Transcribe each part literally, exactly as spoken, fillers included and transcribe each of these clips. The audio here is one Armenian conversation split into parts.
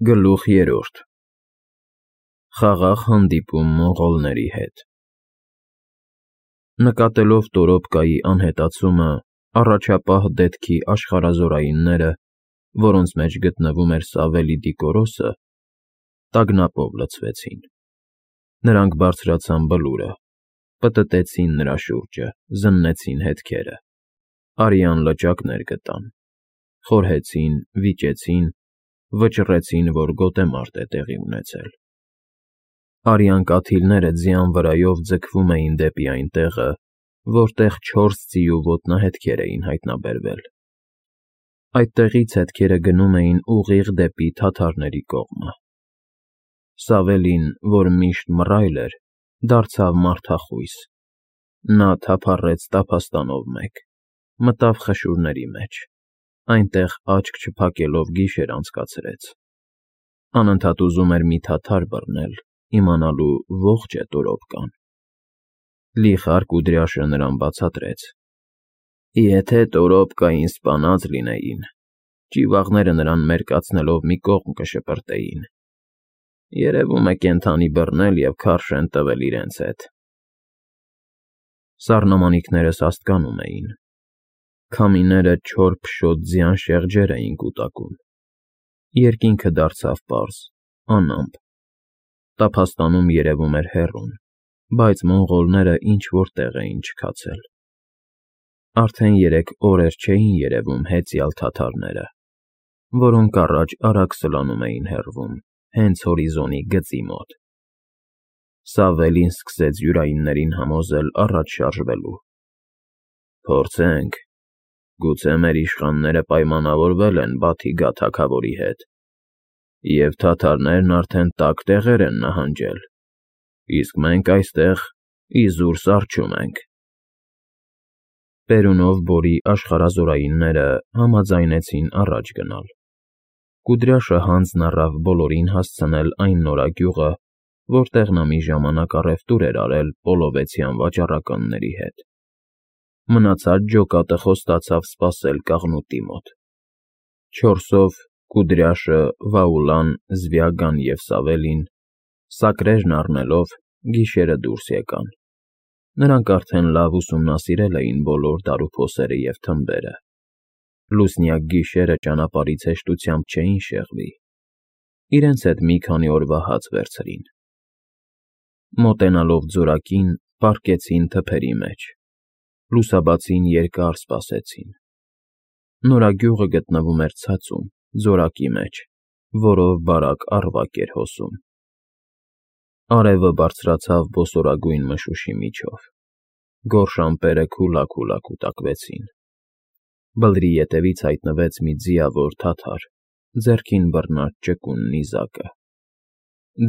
Գլուխ երրորդ Խաղաղ հանդիպում մոնղոլների հետ Նկատելով Տորոպկայի անհետացումը, առաջապահ դետքի աշխարհազորայինները, որոնց մեջ գտնվում էր Սավելիդի կորոսը, տագնապով լցվեցին. նրանք բարձրացան բլուրը, պտտեցին նրա շուրջը, զննեցին հետքերը, արյան լճակներ գտան, խորհեցին, վիճեցին, վճռեցին, որ գոտեմարտ է տեղի ունեցել. արյան կաթիլները ձյան վրայով ձգվում էին դեպի այն տեղը, որտեղ չորս ձիու ոտնահետքեր էին հայտնաբերվել. այդտեղից հետքերը գնում էին ուղիղ դեպի թաթարների կողմը. Սավելին, որ միշտ մռայլ էր, դարձավ մարդախույս, նա թափառեց տափաստանով մեկ, մտավ խշուրների մեջ, այնտեղ աչք չփակելով գիշեր անցկացրեց, անընդհատ ուզում էր մի թաթար բռնել, իմանալու ողջ է Տորոպկան: Լիխար Կուդրյաշը նրան բացատրեց. եթե Տորոպկային սպանած լինեին, ճիվաղները նրան մերկացնելով մի կողմ կշպրտեին, երևում է կենդանի բռնել և քարշ են տվել իրենց հետ: Սառնամանիքները սաստկանում էին, քամիները չոր փշոտ ձյան շեղջեր էին կուտակում, երկինքը դարձավ պարզ, անամպ, տափաստանում երևում էր հեռուն, բայց մոնղոլները ինչ-որ տեղ էին չքացել: Արդեն երեք օրեր չէին երևում հեծյալ թաթարները, որոնք առաջ արագ սլանում էին հեռվում, հենց հորիզոնի գծի մոտ: Սավելին սկսեց յուրայիններին համոզել առաջ շարժվելու. փորձենք, գուցե մեր իշխանները պայմանավորվել են Բաթիգա թագավորի հետ, և թաթարներն արդեն տաք տեղեր են նահանջել, իսկ մենք այստեղ իզուր սառչում ենք: Պերունով Բորի աշխարհազորայինները համաձայնեցին առաջ գնալ: Կուդրյաշը հանձն առավ բոլորին հասցնել այն նորագյուղը, որտեղ նա մի ժամանակ առևտուր էր արել պոլովեցյան վաճառականների հետ: Մնացած ջոկատը խոստացավ սպասել կաղնուտի մոտ: Չորսով Կուդրյաշը, Վաուլան, Զվյագան և Սավելին, սակրերն առնելով, գիշերը դուրս եկան: Նրանք արդեն լավ ուսումնասիրել էին բոլոր դարուփոսերը և թմբերը, լուսնյակ գիշերը ճանապարհից հեշտությամբ չէին շեղվի, իրենց հետ մի քանի օրվա հաց վերցրին: Մոտենալով ձորակին, պառկեցին թփերի մեջ, լուսաբացին երկար սպասեցին: Նորագյուղը գտնվում էր ցածում, ձորակի մեջ, որով բարակ առվակ էր հոսում: Արևը բարձրացավ բոսորագույն մշուշի միջով, գորշ ամպերը քուլաքուլա կուտակվեցին: Բլրի ետևից հայտնվեց մի ձիավոր թաթար, ձեռքին բռնած ճկուն նիզակը: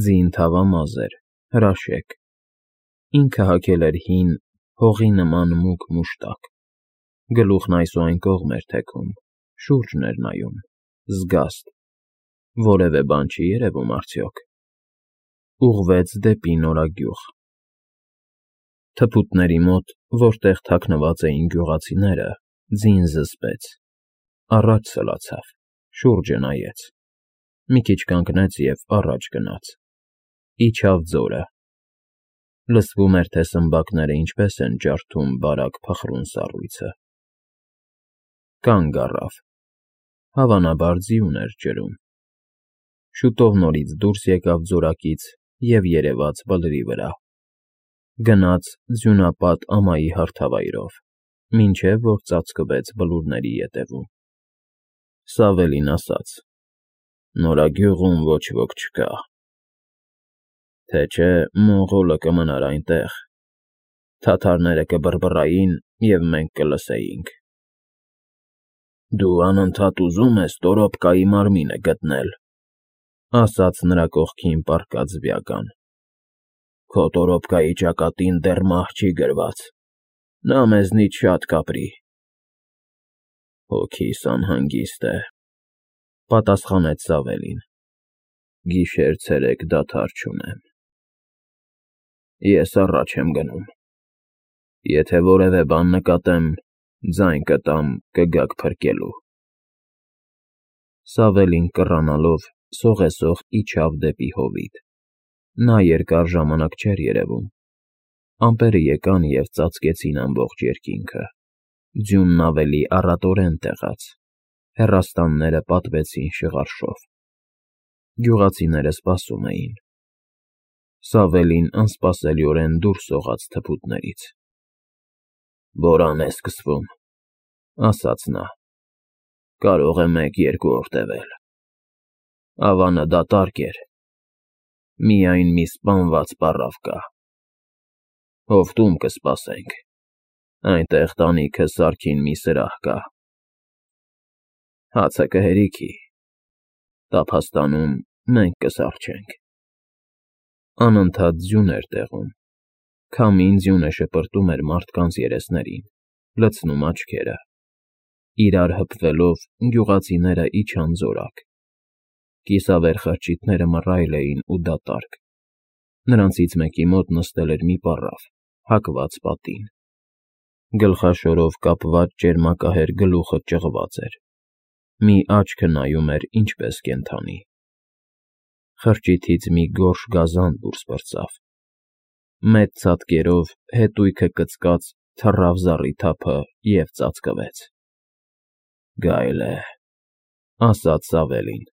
Ձին թավամազ էր, հրաշեկ, ինքը հագել էր հին, հողի նման մուգ մուշտակ, գլուխն այս ու այն կողմ էր թեքում, շուրջն էր նայում, զգաստ, որևէ բան չի երևում արդյոք: Ուղղվեց դեպի նորագյուղ: Թփուտների մոտ, որտեղ թաքնված էին գյուղացիները, ձին զսպեց, առաջ սլացավ, շուրջը նայեց, մի քիչ կանգնեց և առաջ գնաց, իջավ ձորը: Լսվում էր, թե սմբակները ինչպես են ջարդում բարակ փխրուն սառույցը: Կանգ առավ, հավանաբար ձիուն էր ջրում: Շուտով նորից դուրս եկավ ձորակից և երևաց բլրի վրա: Գնաց ձյունապատ ամայի հարթավայրով, մինչև որ ծածկվեց բլուրների ետևում: Սավելին ասաց. նորագյուղում ոչ ոք չկա, թե չէ մոնղոլը կմնար այնտեղ, թաթարները կբռբռային և մենք կլսեինք: Դու անընդհատ ուզում ես Տորոպկայի մարմինը գտնել, ասաց նրա կողքին պառկած Զվյագան: Քո Տորոպկայի ճակատին դեռ մահ չի գրված, նա մեզնից շատ կապրի: Հոգիս անհանգիստ է, պատասխանեց Սավելին: Գիշեր֊ցերեկ դադար չունեմ: Ես առաջ եմ գնում, եթե որևէ բան նկատեմ, ձայն կտամ, կգաք փրկելու: Սավելին կռանալով սողեսող իջավ դեպի հովիտ։ Նա երկար ժամանակ չէր երևում։ Ամպերը եկան և ծածկեցին ամբողջ երկինքը։ Ձյունն ավելի առատորեն տեղաց, հեռաստանները պատվեցին շղարշով։ Գյուղացիները սպասում էին։ Սավելին անսպասելիորեն դուրս սողաց թփուտներից։ «Բորան է սկսվում», ասաց նա։ «Կարող է մեկ֊երկու օր տևել»։ Ավանը դատարկ էր։ Միայն մի սպանված պառավ կա։ Հովտում կսպասենք, այնտեղ տանիքը սարքին մի սրահ կա։ Հացը կհերիքի, տափաստանում մենք կսառչենք։ Անընդհատ ձյուն էր տեղում։ Քամին ձյունը շպրտում էր մարդկանց երեսներին, լցնում աչքերը։ Իրար հպվելով գյուղացիները իջան զորակ։ Կիսավեր խրճիթները մռայլ էին ու դատարկ։ Նրանցից մեկի մոտ նստել էր մի պառավ, հակված պատին։ Գլխաշորով կապված ճերմակահեր գլուխը ճղված էր։ Մի աչքը նայում էր ինչպես կենդանի։ Խրճիթից մի գորշ գազան դուրս պրծավ։ Մեծ ցատկերով հետույքը կծկած թռավ զառիթափը և ծածկվեց։ «Գայլ է», ասաց Սավելին։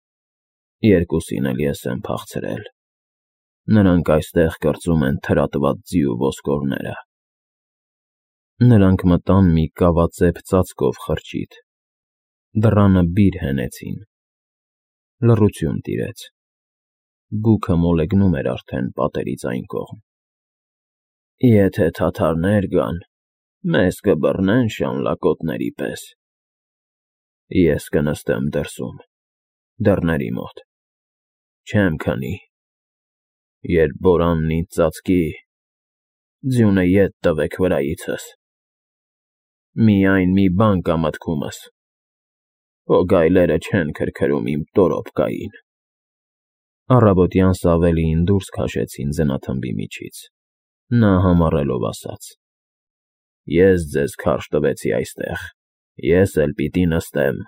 «Երկուսին էլ ես եմ փախցրել։ Նրանք այստեղ կրծում են թրատված ձի ու ոսկորները»։ Նրանք մտան մի կավածեպ ծածկով խրճիթ։ Դռանը բիր հենեցին։ Լռություն տիրեց։ Բուքը մոլեգնում էր արդեն պատերից այն կողմ։ «Եթե թաթարներ գան, մեզ կբռնեն շանլակոտների պես։ Ես կնստեմ դրսում, դռների մոտ, չեմ քնի։ Երբ բորանն ինձ ծածկի, ձյունը ետ տվեք վրայիցս։ Միայն մի բան կա մտքումս. հո գայլերը չեն քրքրում իմ տորոպկային»։ Առավոտյան Սավելիին դուրս քաշեցին ձնաթմբի միջից։ Նա համառելով ասաց. «Ես ձեզ քարշ տվեցի այստեղ, ես էլ պիտի նստեմ»։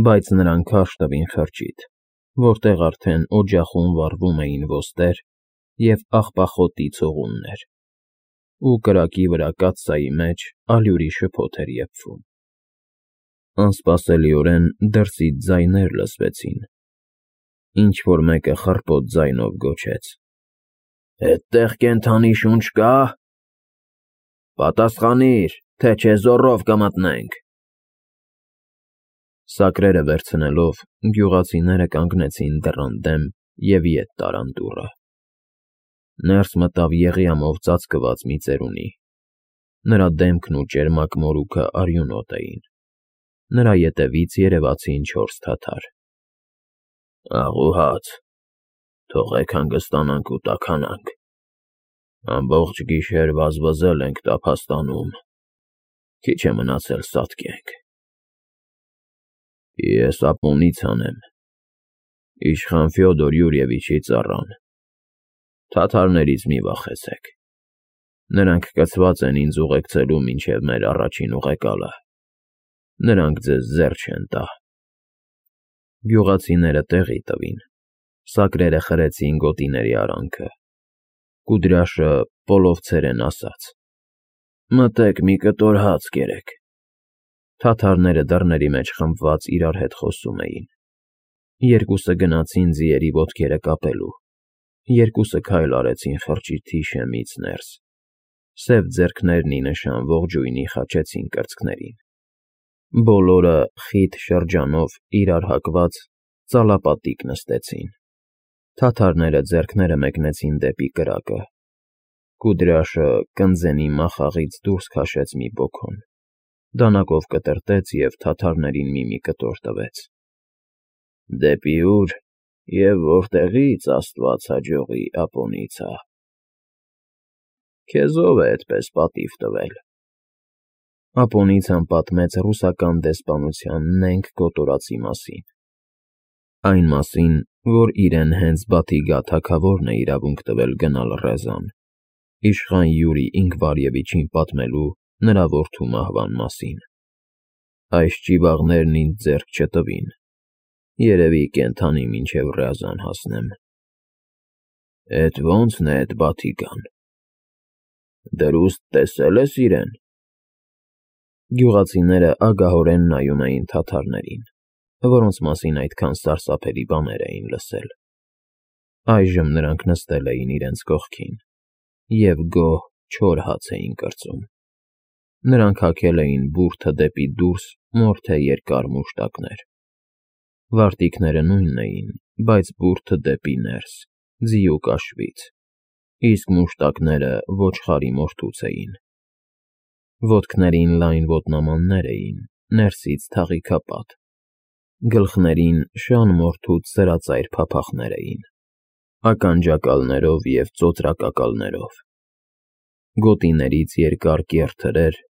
Բայց նրան քարշ տվին խրճիթ, որտեղ արդեն օջախում վառվում էին ոստեր և աղբախոտի ցողուններ, ու կրակի վրա կաթսայի մեջ ալյուրի շփոթ էր եփվում։ Անսպասելիորեն դրսից ձայներ լսվեցին։ Ինչ֊որ մեկը խռպոտ ձայնով գոչեց. «Էդտեղ կենդանի շունչ կա՞։ Պատասխանիր, թե չէ զոռով կմտնենք»։ Սակրերը վերցնելով, գյուղացիները կանգնեցին դռան դեմ և ետ տարան դուռը։ Ներս մտավ եղյամով ծածկված մի ծերունի։ Նրա դեմքն ու ճերմակ մորուքը արյունոտ էին։ Նրա ետևից երևացին չորս թաթար։ «Աղուհաց, թողեք հանգստանանք ու տաքանանք։ Ամբողջ գիշեր վազվզել ենք տափաստանում, քիչ է մնացել սատկենք»։ «Ես Ապոնիցան եմ, իշխան Ֆյոդոր Յուրիևիչի ծառան։ Թաթարներից մի վախեցեք։ Նրանք կցված են ինձ ուղեկցելու մինչև մեր առաջին ուղեկալը։ Նրանք ձեզ ձեռ չեն տա»։ Գյուղացիները տեղի տվին։ Սակրերը խրեցին գոտիների արանքը։ Կուդրյաշը պոլովցերեն ասաց. «Մտեք մի կտոր հաց կերեք»։ Թաթարները դռների մեջ խմբված իրար հետ խոսում էին։ Երկուսը գնացին ձիերի ոտքերը կապելու։ Երկուսը քայլ արեցին խրճիթի շեմից ներս։ Սև ձեռքներն ի նշան ողջույնի խաչեցին կրծքներին։ Բոլորը խիտ շրջանով իրար հակված ծալապատիկ նստեցին։ Թաթարները ձեռքները մեկնեցին դեպի կրակը։ Կուդրյաշը կնձենի մախաղից դուրս քաշեց մի բոքոն, դանակով կտրտեց և թաթարներին մի-մի կտոր տվեց։ «Դեպի ուր և որտեղի՞ց, աստված հաջողի, Ապոնիցա»։ «Քեզ ո՞վ է էդպես պատիվ տվել»։ Ապոնիցան պատմեց ռուսական դեսպանության նենգ կոտորածի մասին։ Այն մասին, որ իրեն հենց Բաթիգա թագավորն է իրավունք տվել գնալ Ռեզան, իշխան Յուրի Ինքվարևիչին պատմելու նրա որդու մահվան մասին։ «Այս ճիվաղներն ինձ ձեռք չտվին, Երևի կենդանի մինչև Ռյազան հասնեմ։ Էդ ո՞նցն է էդ Բաթիկան։ Դրուստ տեսել ես իրեն։ Գյուղացիները ագահորեն նայում էին թաթարներին, որոնց մասին այդքան սարսափելի բաներ էին լսել։ Այժմ նրանք նստել էին իրենց կողքին և գոհ չոր հաց էին կրծում։ Նրանք հագել էին բուրդը դեպի դուրս մորթե երկար մուշտակներ։ Վարտիքները նույնն էին, բայց բուրդը դեպի ներս, ձիու կաշվից, իսկ մուշտակները ոչխարի մորթուց էին։ Ոտքներին լայն ոտնամաններ էին, ներսից թաղիքապատ, գլխներին շան մորթուց սրածայր փափախներ էին, ականջակալներով և ծոծրակակալներով, գոտիներից երկար կեռ թրեր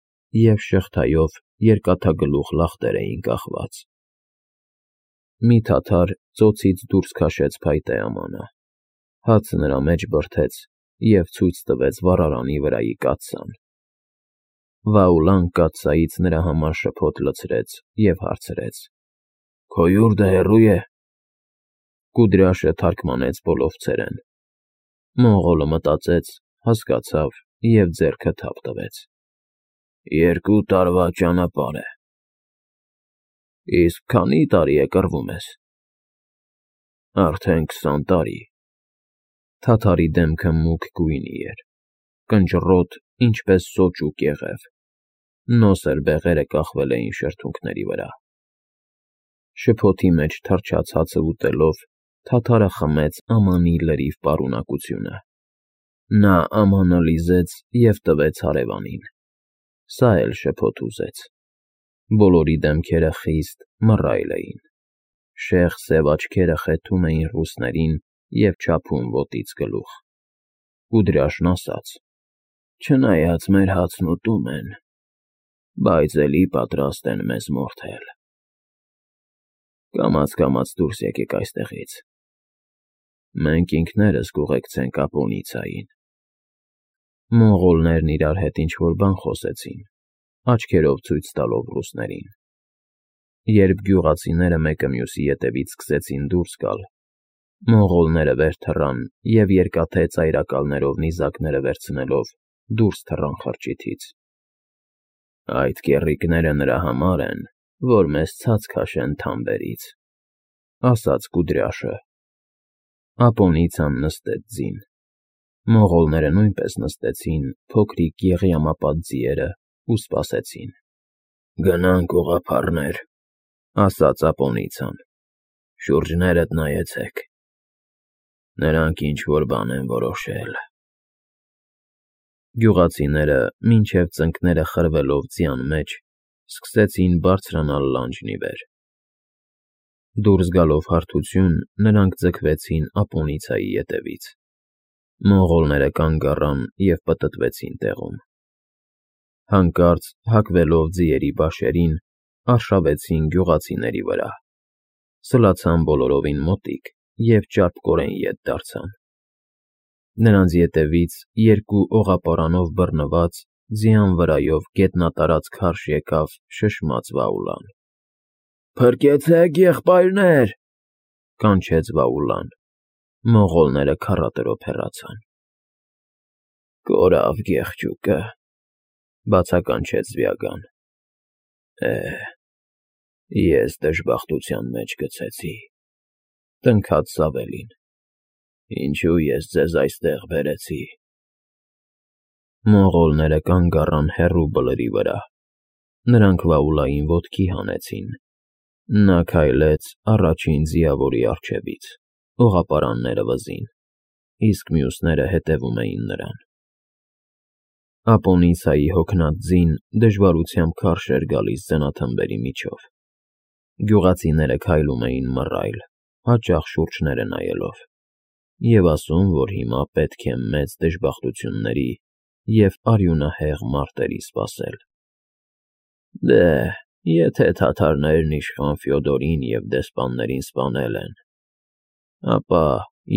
և շղթայով երկաթագլուխ լախտեր էին կախված։ Մի թաթար ծոցից դուրս քաշեց փայտե ամանը, հացը նրա մեջ բրդեց և ցույց տվեց վառարանի վրայի կաթսան։ Վաուլան կաթսայից նրա համար շփոթ լցրեց և հարցրեց. «Քո յուրդը հեռո՞ւ է»։ Կուդրյաշը թարմգանեց բոլովցերեն։ Մոնղոլը մտածեց, հասկացավ և ձեռքը թափ տվեց. «Երկու տարվա ճանապարհ է»։ Իսկ քանի՞ տարի է կռվում ես։ Արդեն քսան տարի։ Թաթարի դեմքը մուգ գույնի էր, կնճռոտ, ինչպես սոճու կեղև, նոսր բեղերը կախվել էին շրթունքների վրա։ Շփոթի մեջ թռչած հացը ուտելով՝ թաթարը խմեց ամանի լրիվ պարունակությունը։ Նա ամանը լիզեց և տվեց հարևանին։ Սա էլ շփոթ ուզեց։ Բոլորի դեմքերը խիստ, մռայլ էին։ Շեղ սև աչքերը խեթում էին ռուսներին և չափում ոտից գլուխ։ Կուդրյաշն ասաց. «Չնայած մեր հացն ուտում են, բայց էլի պատրաստ են մեզ մորթել։ Կամաց֊կամաց դուրս եկեք այստեղից։ Մենք ինքներս կուղեկցենք Ապոնիցիային»։ Մոնղոլներն իրար հետ ինչ֊որ բան խոսեցին, աչքերով ցույց տալով ռուսներին։ Երբ գյուղացիները մեկը մյուսի ետևից սկսեցին դուրս գալ, մոնղոլները վեր թռան և երկաթե ծայրակալներով նիզակները վերցնելով դուրս թռան խրճիթից։ «Այդ կեռիկները նրա համար են, որ մեզ ցած քաշեն թամբերից», ասաց Կուդրյաշը։ Ապոնիցիան նստեց ձին։ Մոնղոլները նույնպես նստեցին փոքրիկ եղյամապատ ձիերն ու սպասեցին։ «Գնանք, ուղղափառներ», ասաց Ապոնիցիան։ «Շուրջներդ նայեցեք։ Նրանք ինչ֊որ բան են որոշել»։ Գյուղացիները, մինչև ծնկները խրվելով ձյան մեջ, սկսեցին բարձրանալ լանջն ի վեր։ Դուրս գալով հարթություն, նրանք ձգվեցին Ապոնիցիայի ետևից։ Մոնղոլները կանգ առան և պտտվեցին տեղում։ Հանկարծ, հակվելով ձիերի բաշերին, արշավեցին գյուղացիների վրա, սլացան բոլորովին մոտիկ և ճարպկորեն ետ դարձան։ Նրանց ետևից երկու օղապարանով բռնված, ձյան վրայով գետնատարած քարշ եկավ շշմած Վաուլան։ «Փրկեցե՛ք, եղբայրներ», կանչեց Վաուլան։ Մոնղոլները քառատրոփ հեռացան։ «Կորավ գեղջուկը», բացականչեց Զվյագան։ «Է, ես դժբախտության մեջ գցեցի», տնքաց Սավելին։ «Ինչու ես ձեզ այստեղ բերեցի»։ Մոնղոլները կանգ առան հեռու բլրի վրա։ Նրանք Վաուլային ոտքի հանեցին։ Նա քայլեց առաջին ձիավորի առջևից, օղապարանները վզին, իսկ մյուսները հետևում էին նրան։ Ապոնիցիայի հոգնած ձին դժվարությամբ քարշ էր գալիս ձնաթմբերի միջով։ Գյուղացիները քայլում էին մռայլ, հաճախ շուրջները նայելով, և ասում, որ հիմա պետք է մեծ դժբախտությունների և արյունահեղ մարտերի սպասել։ Դե, եթե թաթարներն իշխան Ֆյոդորին և դեսպաններին սպանել են, ապա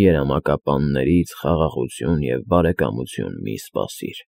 երամակապաններից խաղաղություն և բարեկամություն մի՛ սպասիր։